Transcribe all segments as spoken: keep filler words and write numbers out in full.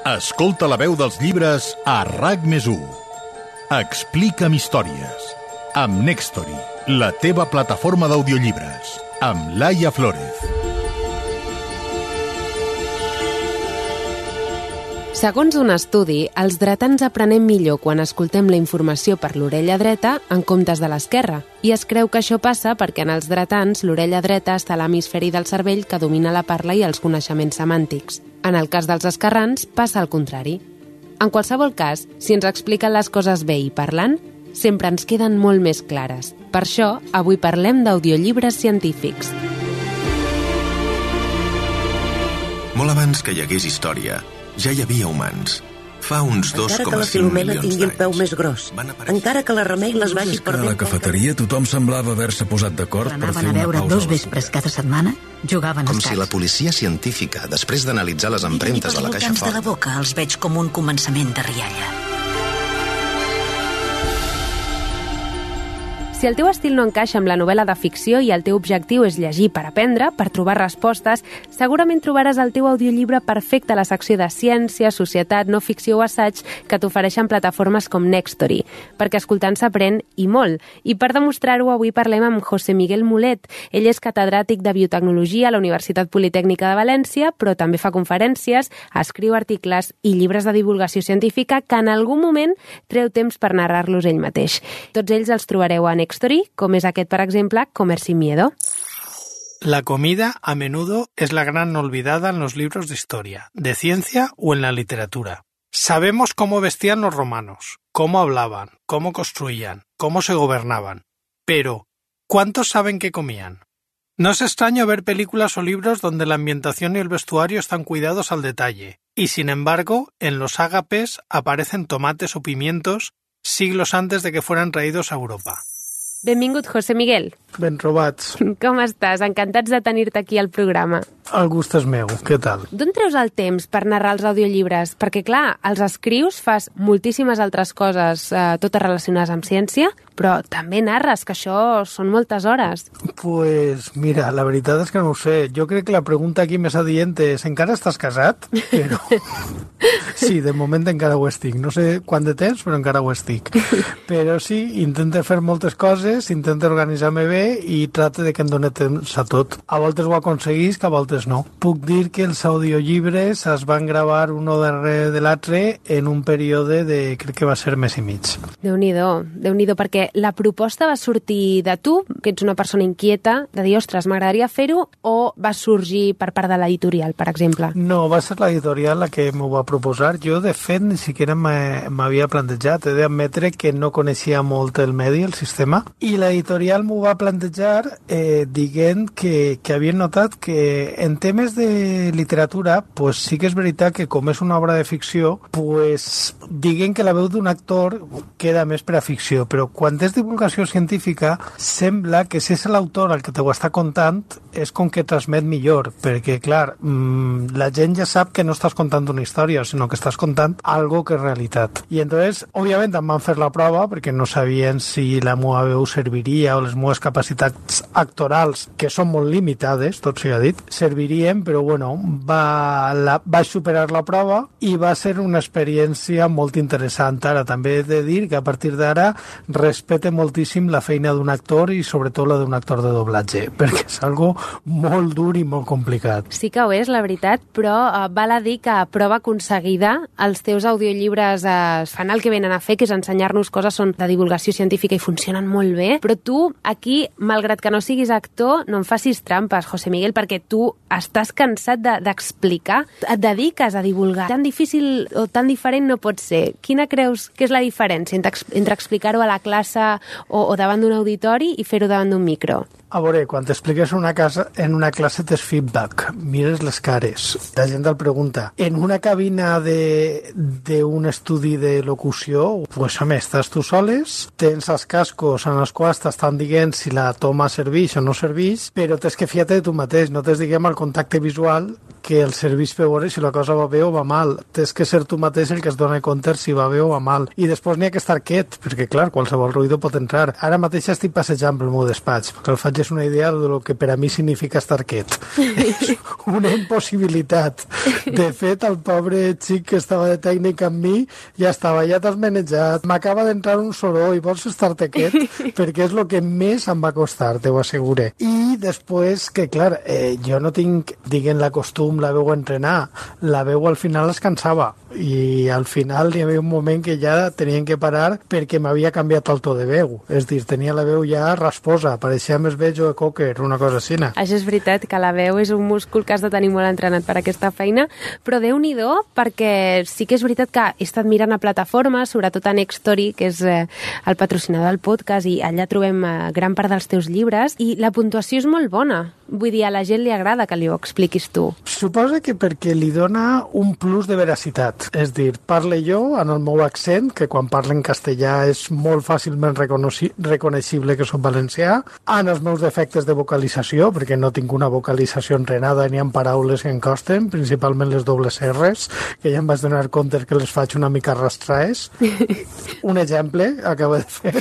Escolta la veu dels llibres a RAC més u. Explica'm històries. Amb Nextory, la teva plataforma d'audiollibres. Amb Laia Flórez. Segons un estudi, els dretans aprenem millor quan escoltem la informació per l'orella dreta en comptes de l'esquerra. I es creu que això passa perquè en els dretans l'orella dreta està a l'hemisferi del cervell que domina la parla i els coneixements semàntics. En el cas dels esquerrans, passa al contrari. En qualsevol cas, si ens expliquen les coses bé i parlant, sempre ens queden molt més clares. Per això, avui parlem d'audiollibres científics. Molt abans que hi hagués història, ja hi havia humans. Fa uns dos coma cinc milions d'anys. Encara que la Filomena tingui el peu més gros, encara que la Remei les vagi per a la cafeteria tothom semblava haver-se posat d'acord per fer una pausa. Anaven a veure dos vespres cada setmana, jugaven a Com si la policia científica, després d'analitzar les empremtes de la caixa fort... de la boca els veig com un començament de rialla. Si el teu estil no encaixa amb la novel·la de ficció i el teu objectiu és llegir per aprendre, per trobar respostes, segurament trobaràs el teu audiollibre perfecte a la secció de ciència, societat, no ficció o assaig que t'ofereixen plataformes com Nextory, perquè escoltant s'aprèn i molt. I per demostrar-ho, avui parlem amb José Miguel Mulet. Ell és catedràtic de biotecnologia a la Universitat Politècnica de València, però també fa conferències, escriu articles i llibres de divulgació científica que en algun moment treu temps per narrar-los ell mateix. Tots ells els trobareu a Nextory, com és aquest, per exemple, Comer sin miedo. La comida a menudo es la gran olvidada en los libros de historia, de ciencia o en la literatura. Sabemos cómo vestían los romanos, cómo hablaban, cómo construían, cómo se gobernaban. Pero, ¿cuántos saben qué comían? No es extraño ver películas o libros donde la ambientación y el vestuario están cuidados al detalle, y sin embargo, en los ágapes aparecen tomates o pimientos siglos antes de que fueran traídos a Europa. Benvingut, José Miguel. Ben trobats. Com estàs? Encantats de tenir-te aquí al programa. El gust és meu, què tal? D'on treus el temps per narrar els audiollibres? Perquè, clar, els escrius, fas moltíssimes altres coses, eh, totes relacionades amb ciència, però també narres, que això són moltes hores. Pues mira, la veritat és que no ho sé. Jo crec que la pregunta aquí més adient és encara estàs casat? Però... sí, de moment encara ho estic. No sé quant de temps, però encara ho estic. Però sí, intento fer moltes coses, intento organitzar-me bé i tracte de que em doni temps a tot. A voltes ho aconseguís, que a voltes no. Puc dir que els audiollibres es van gravar un darrere de l'altre en un període de, crec que va ser mes i mig. Déu-n'hi-do, Déu-n'hi-do, perquè la proposta va sortir de tu, que ets una persona inquieta, de dir, ostres, m'agradaria fer-ho, o va sorgir per part de l'editorial, per exemple? No, va ser l'editorial la que m'ho va proposar. Jo, de fet, ni siquiera m'havia plantejat. He d'admetre que no coneixia molt el medi, el sistema, i l'editorial m'ho va plantejar eh, dient que, que havien notat que en temes de literatura pues, sí que és veritat que com és una obra de ficció pues, diguen que la veu d'un actor queda més per a ficció, però quan és divulgació científica sembla que si és l'autor el que t'ho està contant és com que transmet millor, perquè clar mmm, la gent ja sap que no estàs contant una història, sinó que estàs contant algo que és realitat. I entonces, òbviament em van fer la prova perquè no sabien si la meva veu serviria o les meves capacitats actorals, que són molt limitades, tot s'ha dit, servirien, però bueno, va, la, vaig superar la prova i va ser una experiència molt interessant. Ara també he de dir que a partir d'ara respecte moltíssim la feina d'un actor i sobretot la d'un actor de doblatge, perquè és algo molt dur i molt complicat. Sí que ho és, la veritat, però eh, val a dir que a prova aconseguida els teus audiollibres eh, fan el que venen a fer, que és ensenyar-nos coses són de divulgació científica i funcionen molt bé, però tu aquí, malgrat que no siguis actor, no em facis trampes, José Miguel, perquè tu estàs cansat d'explicar, de, et dediques a divulgar. Tan difícil o tan diferent no pot ser. Quina creus que és la diferència entre, entre explicar-ho a la classe o, o davant d'un auditori i fer-ho davant d'un micro? A veure, quan t'expliques una casa, en una classe tens feedback, mires les cares, la gent el pregunta. En una cabina d'un estudi de locució, pues, home, estàs tu soles, tens els cascos en els quals t'estan dient si la toma serveix o no serveix, però tens que fiar-te de tu mateix, no tens, diguem, el contacte visual que el serveix per veure si la cosa va bé o va mal. Tens que ser tu mateix el que es dona compte si va bé o va mal. I després n'hi ha que estar quiet, perquè, clar, qualsevol ruïdo pot entrar. Ara mateix estic passejant pel meu despatx, perquè el faig és una idea de lo que per a mi significa estar quiet. És una impossibilitat. De fet, el pobre xic que estava de tècnic amb mi ja estava, ja t'has manejat, m'acaba d'entrar un soroll, vols estar-te quiet? Perquè és el que més em va costar, te ho assegure. I després, que clar, eh, jo no tinc, diguem, la costum, la veu a entrenar, la veu al final es cansava, i al final hi havia un moment que ja tenien que parar perquè m'havia canviat el to de veu, és dir, tenia la veu ja rasposa, pareixia més bé Joe Cocker, una cosa així. Això és veritat, que la veu és un múscul que has de tenir molt entrenat per aquesta feina, però Déu-n'hi-do, perquè sí que és veritat que he estat mirant a plataformes, sobretot a Nextory, que és eh, el patrocinador del podcast, i allà trobem eh, gran part dels teus llibres, i la puntuació és molt bona. Vull dir, a la gent li agrada que li ho expliquis tu. Suposa que perquè li dona un plus de veracitat. És dir, parle jo en el meu accent, que quan parlo en castellà és molt fàcilment reconeixible que soc valencià, en els meus defectes de vocalització, perquè no tinc una vocalització entrenada ni en paraules que em costen, principalment les dobles R's, que ja em vaig donar compte que les faig una mica arrastraes. Un exemple, acabo de fer.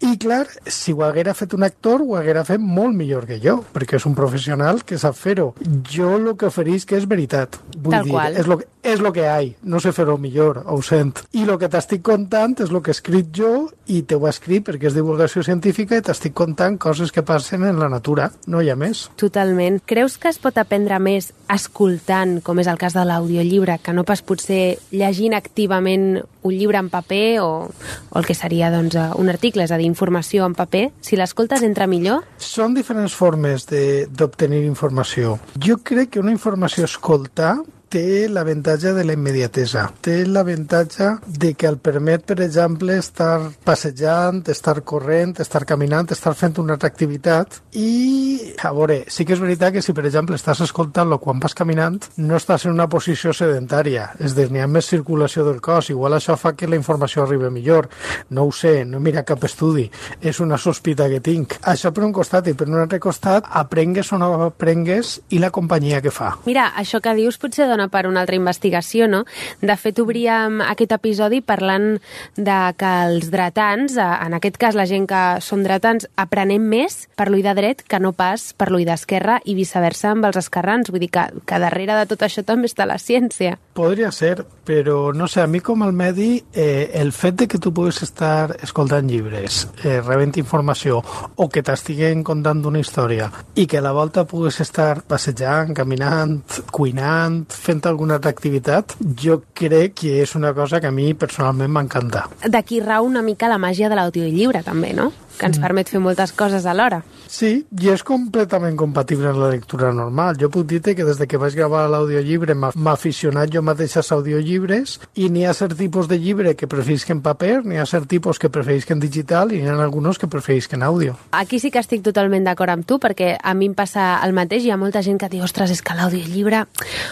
I clar, si ho haguera fet un actor, ho haguera fet molt millor que jo, perquè és un professional que sap fer-ho. Jo el que oferís que és veritat. Vull Tal dir, qual. és lo que, és lo que hi ha. No sé fer-ho millor, ho sent. I el que t'estic contant és el que he escrit jo, i te ho he escrit perquè és divulgació científica, i t'estic contant coses que passen en la natura. No hi ha més. Totalment. Creus que es pot aprendre més escoltant, com és el cas de l'audiollibre, que no pas potser llegint activament un llibre en paper o, o el que seria doncs, un article, és a dir, informació en paper? Si l'escoltes entra millor? Són diferents formes d'obtenir informació. Jo crec que una informació escoltar té l'avantatge de la immediatesa. Té l'avantatge de que el permet, per exemple, estar passejant, estar corrent, estar caminant, estar fent una altra activitat. I, a veure, sí que és veritat que si, per exemple, estàs escoltant-lo quan vas caminant, no estàs en una posició sedentària. És a dir, n'hi ha més circulació del cos. Igual això fa que la informació arribi millor. No ho sé, no mira cap estudi. És una sospita que tinc. Això per un costat, i per un altre costat, aprengues o no aprengues i la companyia que fa. Mira, això que dius potser dona per una altra investigació, no? De fet, obríem aquest episodi parlant de que els dretans, en aquest cas la gent que són dretans, aprenem més per l'ull de dret que no pas per l'ull d'esquerra i viceversa amb els esquerrans. Vull dir que, que darrere de tot això també està la ciència. Podria ser, però no sé, a mi com el medi, eh, el fet de que tu puguis estar escoltant llibres, eh, rebent informació, o que t'estiguen contant una història, i que a la volta puguis estar passejant, caminant, cuinant, fent alguna altra activitat, jo crec que és una cosa que a mi personalment m'encanta. D'aquí rau una mica la màgia de l'audiollibre, també, no? Que ens permet fer moltes coses alhora. Sí, i és completament compatible amb la lectura normal. Jo puc dir-te que des de que vaig gravar l'audiollibre m'ha aficionat jo mateix als audiollibres, i n'hi ha cert tipus de llibre que preferisc en paper, n'hi ha cert tipus que preferisc en digital, i n'hi ha alguns que preferisc en àudio. Aquí sí que estic totalment d'acord amb tu, perquè a mi em passa el mateix. Hi ha molta gent que diu, ostres, és que l'audiollibre...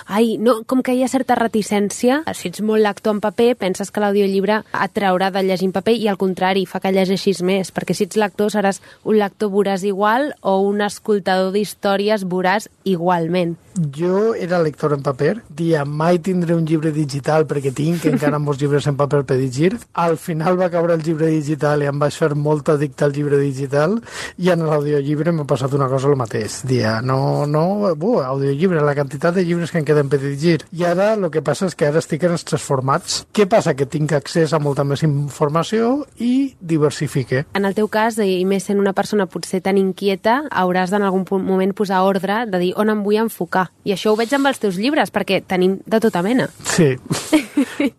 Ai, no, com que hi ha certa reticència. Si ets molt lector en paper, penses que l'audiollibre et traurà de llegir en paper, i al contrari, fa que llegeixis més, perquè si ets lector seràs un lector voràs igual o un escoltador d'històries voràs igualment. Jo era lector en paper, dia mai tindré un llibre digital perquè tinc encara molts llibres en paper per llegir. Al final va caure el llibre digital i em vaig fer molt addicte al llibre digital, i en l'audiollibre m'ha passat una cosa el mateix. Dia, no, no, bu, audiollibre, la quantitat de llibres que em queden per llegir. I ara el que passa és que ara estic en els tres formats. Què passa? Que tinc accés a molta més informació i diversifique. En el teu cas, i més sent una persona potser tan inquieta, hauràs d'en algun moment posar ordre de dir on em vull enfocar. I això ho veig amb els teus llibres, perquè tenim de tota mena. Sí,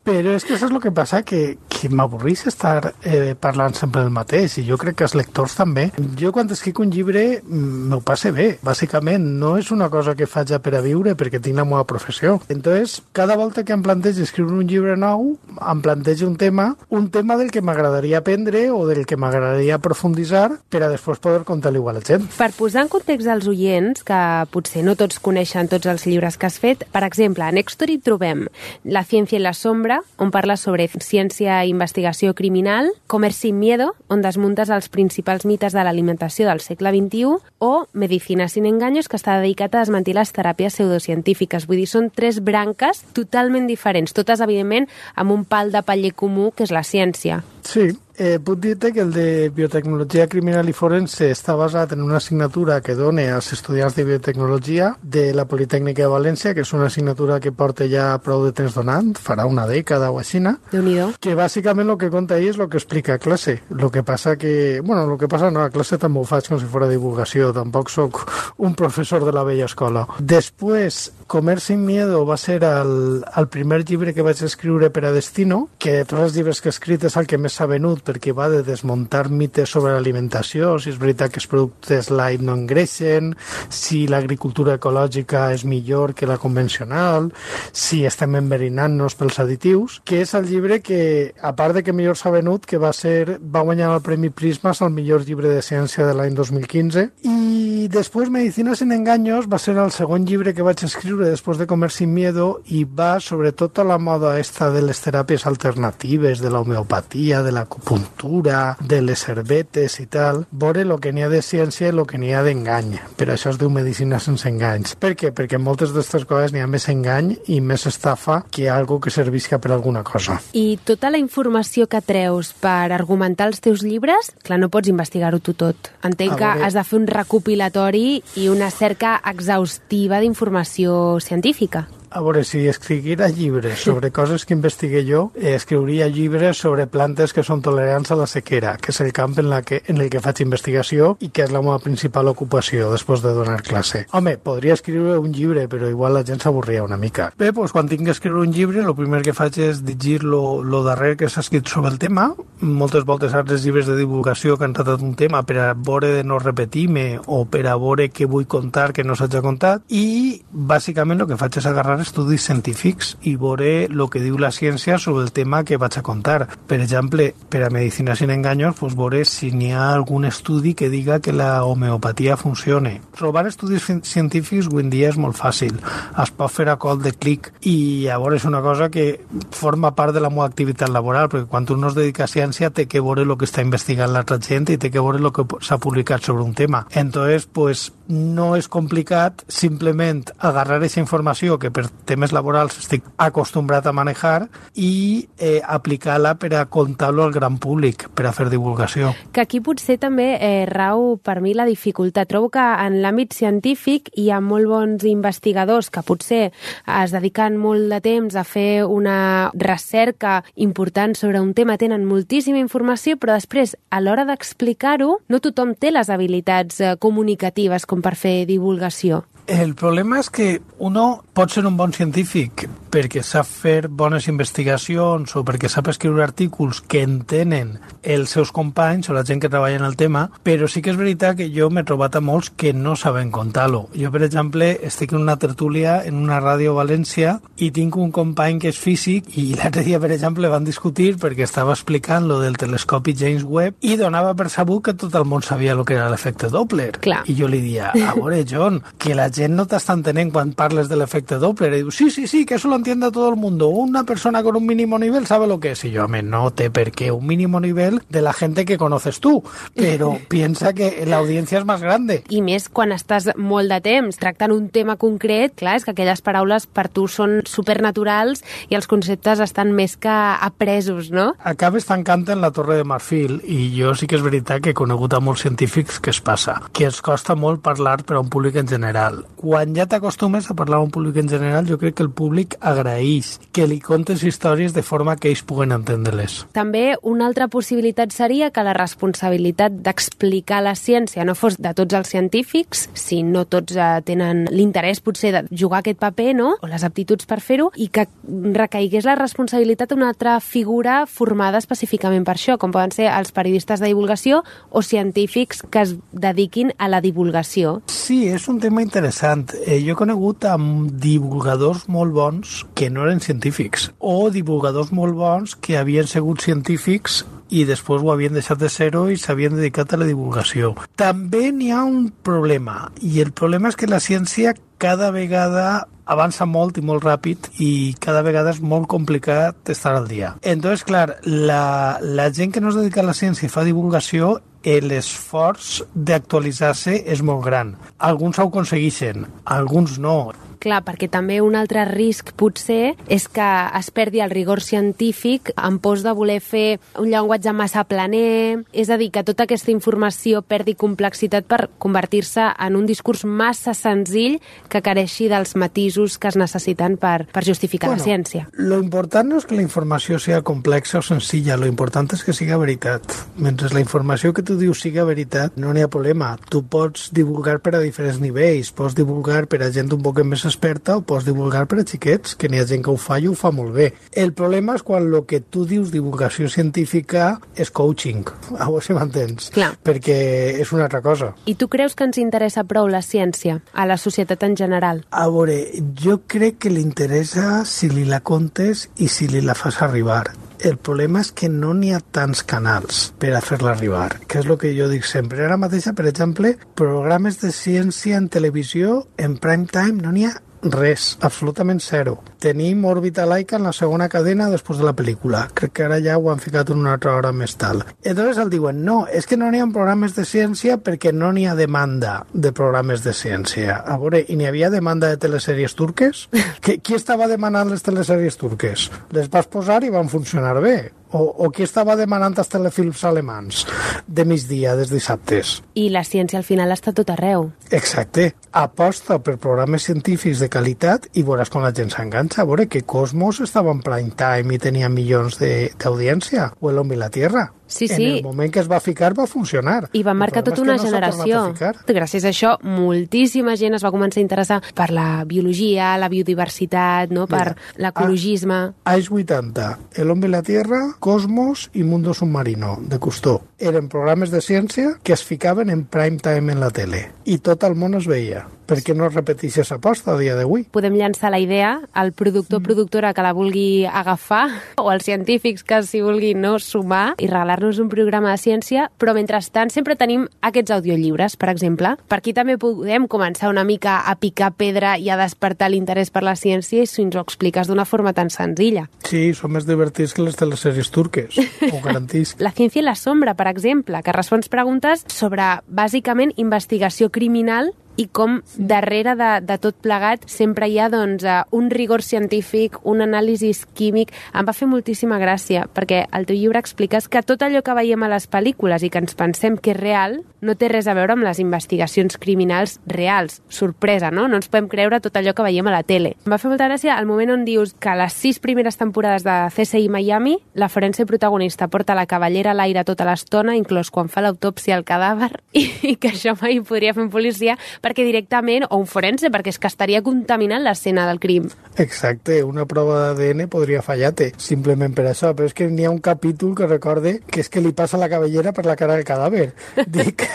però és que això és el que passa, que, que m'avorrís estar eh, parlant sempre del mateix, i jo crec que els lectors també. Jo quan escric un llibre m'ho passe bé, bàsicament. No és una cosa que faig per a viure, perquè tinc la meva professió. Entonces, cada volta que em plantejo escriure un llibre nou, em plantejo un tema, un tema del que m'agradaria aprendre o del que m'agradaria aprofunditzar per a després poder contar-li a la gent. Per posar en context als oients, que potser no tots coneixen tots els llibres que has fet, per exemple, a Nextory trobem La ciència i la sombra, sombra, on parles sobre ciència i investigació criminal, Comer sin miedo, on desmuntes els principals mites de l'alimentació del segle vint-i-u, o Medicina sin engaños, que està dedicat a desmentir les teràpies pseudocientífiques. Vull dir, són tres branques totalment diferents, totes, evidentment, amb un pal de paller comú, que és la ciència. Sí, eh, puc dir-te que el de Biotecnologia Criminal i Forense està basat en una assignatura que dona als estudiants de biotecnologia de la Politècnica de València, que és una assignatura que porta ja prou de temps donant, farà una dècada o així, Déu-n'hi-do. Que bàsicament el que conta ahí és el que explica a classe. El que passa que, bueno, el que passa no, a classe també ho faig com si fos divulgació, tampoc sóc un professor de la vella escola. Després, Comer sin miedo va ser el, el primer llibre que vaig escriure per a Destino, que de tots els llibres que he escrit és el que més s'ha venut, perquè va de desmuntar mites sobre l'alimentació, si és veritat que els productes light no engreixen, si l'agricultura ecològica és millor que la convencional, si estem enverinant-nos pels additius, que és el llibre que, a part de que millor s'ha venut, que va ser va guanyar el Premi Prismas al millor llibre de ciència de l'any dos mil quinze, i després Medicina sin engaños va ser el segon llibre que vaig escriure després de Comer sin miedo, i va sobretot a la moda esta de les teràpies alternatives, de la homeopatia, de l'acupuntura, de les herbetes i tal, veure el que n'hi ha de ciència i el que n'hi ha d'engany. Per això es diu medicina sense enganys. Per què? Perquè en moltes d'aquestes coses n'hi ha més engany i més estafa que algo que servisca per alguna cosa. I tota la informació que treus per argumentar els teus llibres, clar, no pots investigar-ho tu tot. Entenc que has de fer un recopilatori i una cerca exhaustiva d'informació científica. A veure, si escriguera llibres sobre coses que investigué jo, eh, escriuria llibres sobre plantes que són tolerants a la sequera, que és el camp en, la que, en el que faig investigació i que és la meva principal ocupació després de donar classe. Home, podria escriure un llibre, però igual la gent s'avorria una mica. Bé, doncs quan tinc que escriure un llibre, el primer que faig és llegir lo, lo darrer que s'ha escrit sobre el tema. Moltes voltes altres llibres de divulgació que han tratat un tema per a veure de no repetir-me o per a veure què vull contar que no s'hagi contat, i bàsicament el que faig és agarrar estudis científics i veure el que diu la ciència sobre el tema que vaig a contar. Per exemple, per a Medicina sin engaños, pues veure si n'hi ha algun estudi que diga que la homeopatia funcione. Trobar estudis científics avui en dia és molt fàcil. Es pot fer a col de clic, i llavors és una cosa que forma part de la meva activitat laboral, perquè quan tu no es dedica a ciència té que veure el que està investigant l'altra gent i té que veure el que s'ha publicat sobre un tema. Entonces, pues, no és complicat simplement agarrar aquesta informació que per temes laborals estic acostumbrat a manejar i eh, aplicar-la per a contar-lo al gran públic, per a fer divulgació. Que aquí potser també eh, rau per mi la dificultat. Trobo que en l'àmbit científic hi ha molt bons investigadors que potser es dediquen molt de temps a fer una recerca important sobre un tema, tenen moltíssima informació, però després, a l'hora d'explicar-ho, no tothom té les habilitats eh, comunicatives com per fer divulgació. El problema és que uno pot ser un bon científic perquè sap fer bones investigacions o perquè sap escriure artículs que entenen els seus companys o la gent que treballa en el tema, però sí que és veritat que jo m'he trobat a molts que no saben contar-lo. Jo, per exemple, estic en una tertúlia en una ràdio a València i tinc un company que és físic i l'altre dia, per exemple, van discutir perquè estava explicant lo del telescopi James Webb i donava per sabut que tot el món sabia el que era l'efecte Doppler. Clar. I jo li dia, a veure, John, que la gent no t'està entenent quan parles del efecte Doppler. I diu, sí, sí, sí, que eso lo entiende todo el mundo. Una persona con un mínimo nivel sabe lo que es. Y yo, me no té per qué un mínimo nivel de la gente que conoces tú, pero piensa que la audiencia es más grande. I més quan estàs molt de temps tractant un tema concret, clar, és que aquelles paraules per tu són supernaturals i els conceptes estan més que apresos, no? Acabes tancant en la Torre de Marfil i jo sí que és veritat que he conegut a molts científics que es passa, que els costa molt parlar per a un públic en general. Quan ja t'acostumes a parlar a un públic en general, jo crec que el públic agraeix que li contes històries de forma que ells puguen entendre-les. També una altra possibilitat seria que la responsabilitat d'explicar la ciència no fos de tots els científics, si no tots eh, tenen l'interès potser de jugar aquest paper, no?, o les aptituds per fer-ho, i que recaigués la responsabilitat d'una altra figura formada específicament per això, com poden ser els periodistes de divulgació o científics que es dediquin a la divulgació. Sí, és un tema interessant. Eh, jo he conegut amb divulgadors molt bons divulgadors que no eren científics o divulgadors molt bons que havien sigut científics i després ho havien deixat de ser-ho i s'havien dedicat a la divulgació. També n'hi ha un problema, i el problema és que la ciència cada vegada avança molt i molt ràpid i cada vegada és molt complicat estar al dia. Entonces, clar, la, la gent que no es dedica a la ciència i fa divulgació, l'esforç d'actualitzar-se és molt gran. Alguns ho aconsegueixen, alguns no. Clar, perquè també un altre risc potser és que es perdi el rigor científic en pos de voler fer un llenguatge massa planer, és a dir, que tota aquesta informació perdi complexitat per convertir-se en un discurs massa senzill que careixi dels matisos que es necessiten per, per justificar bueno, la ciència. Lo important no és que la informació sigui complexa o senzilla, lo important és que siga veritat. Mentre la informació que tu dius siga veritat, no n'hi ha problema. Tu pots divulgar per a diferents nivells, pots divulgar per a gent un poc més experta o pots divulgar per a xiquets, que n'hi ha gent que ho fa i ho fa molt bé. El problema és quan el que tu dius divulgació científica és coaching, a veure si m'entens, Clar. perquè és una altra cosa. I tu creus que ens interessa prou la ciència a la societat en general? A veure, jo crec que li interessa si li la contes i si li la fas arribar. El problema és que no n'hi ha tants canals per a fer-la arribar, que és el que jo dic sempre. Ara mateixa, per exemple, programes de ciència en televisió, en prime time, no n'hi ha res, absolutament zero. Tenim òrbita laica en la segona cadena després de la pel·lícula. Crec que ara ja ho han ficat en una altra hora més tal. Entonces el diuen, no, és que no n'hi ha programes de ciència perquè no n'hi ha demanda de programes de ciència. A veure, i n'hi havia demanda de telesèries turques? Qui, qui estava demanant les telesèries turques? Les vas posar i van funcionar bé. O, o qui estava demanant els telefilms alemans de migdia, des dissabtes? I la ciència al final està tot arreu. Exacte. Aposta per programes científics de qualitat i veuràs com la gent s'enganxa. A veure que Cosmos estava en prime time i tenia milions d'audiència, o El Hombre y la Tierra. Sí, sí. En el moment que es va ficar va funcionar. I va marcar tota una no generació. Gràcies a això, moltíssima gent es va començar a interessar per la biologia, la biodiversitat, no? per l'ecologisme. Anys vuitanta, El Hombre y la Tierra, Cosmos i Mundo Submarino, de Cousteau. Eren programes de ciència que es ficaven en prime time en la tele. I tot el món es veia. Per què no es repeteix aquesta aposta a dia d'avui? Podem llançar la idea al productor o productora que la vulgui agafar o als científics que s'hi vulguin no sumar i regalar-nos un programa de ciència, però mentrestant sempre tenim aquests audiollibres, per exemple. Per aquí també podem començar una mica a picar pedra i a despertar l'interès per la ciència si ens ho expliques d'una forma tan senzilla. Sí, són més divertits que les telesèries turques, ho garantisc. La ciència i la sombra, per exemple, que respons preguntes sobre, bàsicament, investigació criminal i com darrere de, de tot plegat sempre hi ha doncs, un rigor científic, un anàlisi químic. Em va fer moltíssima gràcia, perquè al teu llibre expliques que tot allò que veiem a les pel·lícules i que ens pensem que és real no té res a veure amb les investigacions criminals reals. Sorpresa, no? No ens podem creure tot allò que veiem a la tele. Em va fer molta gràcia el moment on dius que a les sis primeres temporades de C S I Miami la forense protagonista porta la cavallera a l'aire tota l'estona, inclòs quan fa l'autòpsia al cadàver, i, i que això mai podria fer un policia perquè directament, o un forense, perquè és que estaria contaminant l'escena del crim. Exacte, una prova d'A D N podria fallar-te, simplement per això, però és que n'hi ha un capítol que recorde que és que li passa la cabellera per la cara del cadàver. Dic,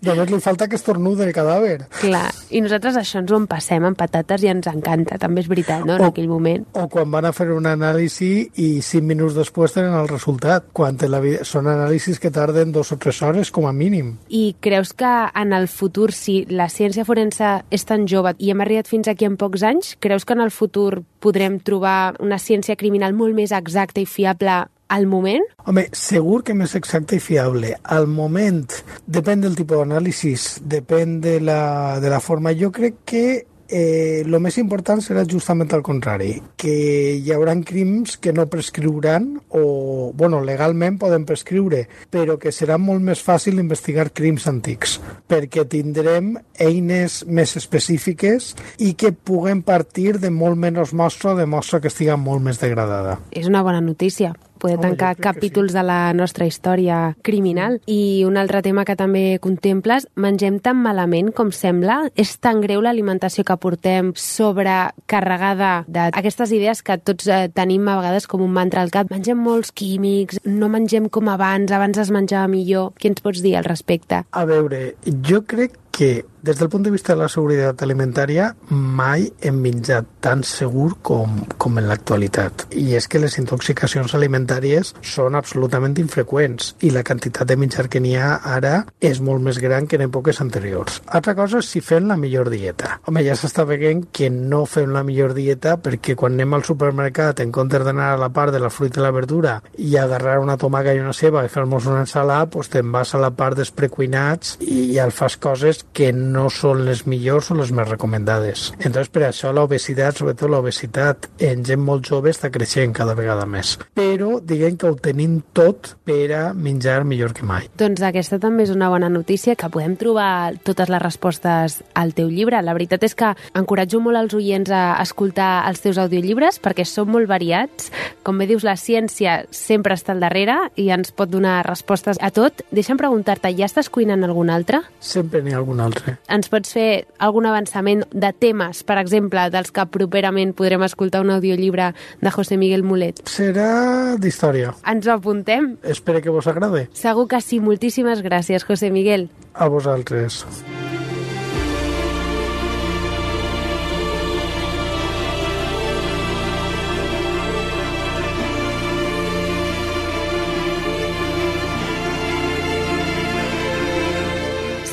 només li falta que estornude el cadàver. Clar, i nosaltres això ens ho empassem amb patates i ens encanta, també és veritat, no?, en o, aquell moment. O quan van a fer un anàlisi i cinc minuts després tenen el resultat, quan la vida... són anàlisis que tarden dos o tres hores com a mínim. I creus que en el futur, si la ciència forense és tan jove i hem arribat fins aquí en pocs anys, creus que en el futur podrem trobar una ciència criminal molt més exacta i fiable al moment? Home, segur que més exacte i fiable. Al moment, depèn del tipus d'anàlisis, depèn de la, de la forma. Jo crec que eh, el més important serà justament al contrari, que hi haurà crims que no prescriuran o, bueno, legalment poden prescriure, però que serà molt més fàcil investigar crims antics, perquè tindrem eines més específiques i que puguem partir de molt menys mostra, de mostra que estiga molt més degradada. És una bona notícia. Poder Home, tancar capítols sí. de la nostra història criminal. I un altre tema que també contemples, mengem tan malament com sembla? És tan greu l'alimentació que portem sobrecarregada d'aquestes idees que tots eh, tenim a vegades com un mantra al cap? Mengem molts químics, no mengem com abans, abans es menjava millor. Què ens pots dir al respecte? A veure, jo crec que des del punt de vista de la seguretat alimentària mai hem menjat tan segur com, com en l'actualitat. I és que les intoxicacions alimentàries són absolutament infreqüents i la quantitat de menjar que n'hi ha ara és molt més gran que en èpoques anteriors. Altra cosa és si fem la millor dieta. Home, ja s'està veient que no fem la millor dieta perquè quan anem al supermercat, en comptes d'anar a la part de la fruita i la verdura i agarrar una tomaca i una ceba i fer-nos una ensalada, doncs te'n vas a la part dels precuinats i ja fas coses que no són les millors o les més recomendades. Entonces, per això l'obesitat, sobretot l'obesitat en gent molt jove, està creixent cada vegada més. Però diguem que ho tenim tot per a menjar millor que mai. Doncs aquesta també és una bona notícia, que podem trobar totes les respostes al teu llibre. La veritat és que encoratjo molt als oients a escoltar els teus audiollibres perquè són molt variats. Com bé dius, la ciència sempre està al darrere i ens pot donar respostes a tot. Deixa'm preguntar-te, ja estàs cuinant algun altre? Sempre n'hi ha algun altre. Ens pots fer algun avançament de temes, per exemple, dels que properament podrem escoltar un audiollibre de José Miguel Mulet? Serà d'història. Ens ho apuntem? Espero que vos agrade. Segur que sí. Moltíssimes gràcies, José Miguel. A vosaltres.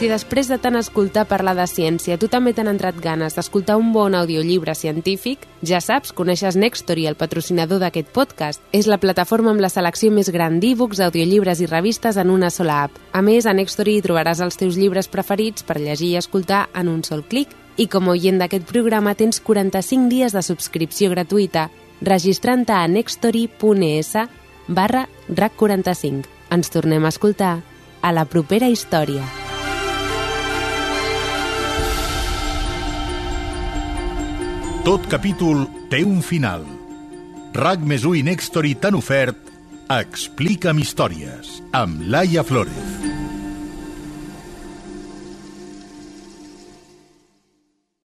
Si després de tant escoltar parlar de ciència tu també t'han entrat ganes d'escoltar un bon audiollibre científic, ja saps, coneixes Nextory, el patrocinador d'aquest podcast. És la plataforma amb la selecció més gran d'e-books, audiollibres i revistes en una sola app. A més, a Nextory hi trobaràs els teus llibres preferits per llegir i escoltar en un sol clic. I com a oient d'aquest programa tens quaranta-cinc dies de subscripció gratuïta registrant-te a nextory.es barra rac quaranta-cinc. Ens tornem a escoltar a la propera història. Tot capítol té un final. RAC més u i Nextory t'han ofert Explica'm històries, amb Laia Flórez.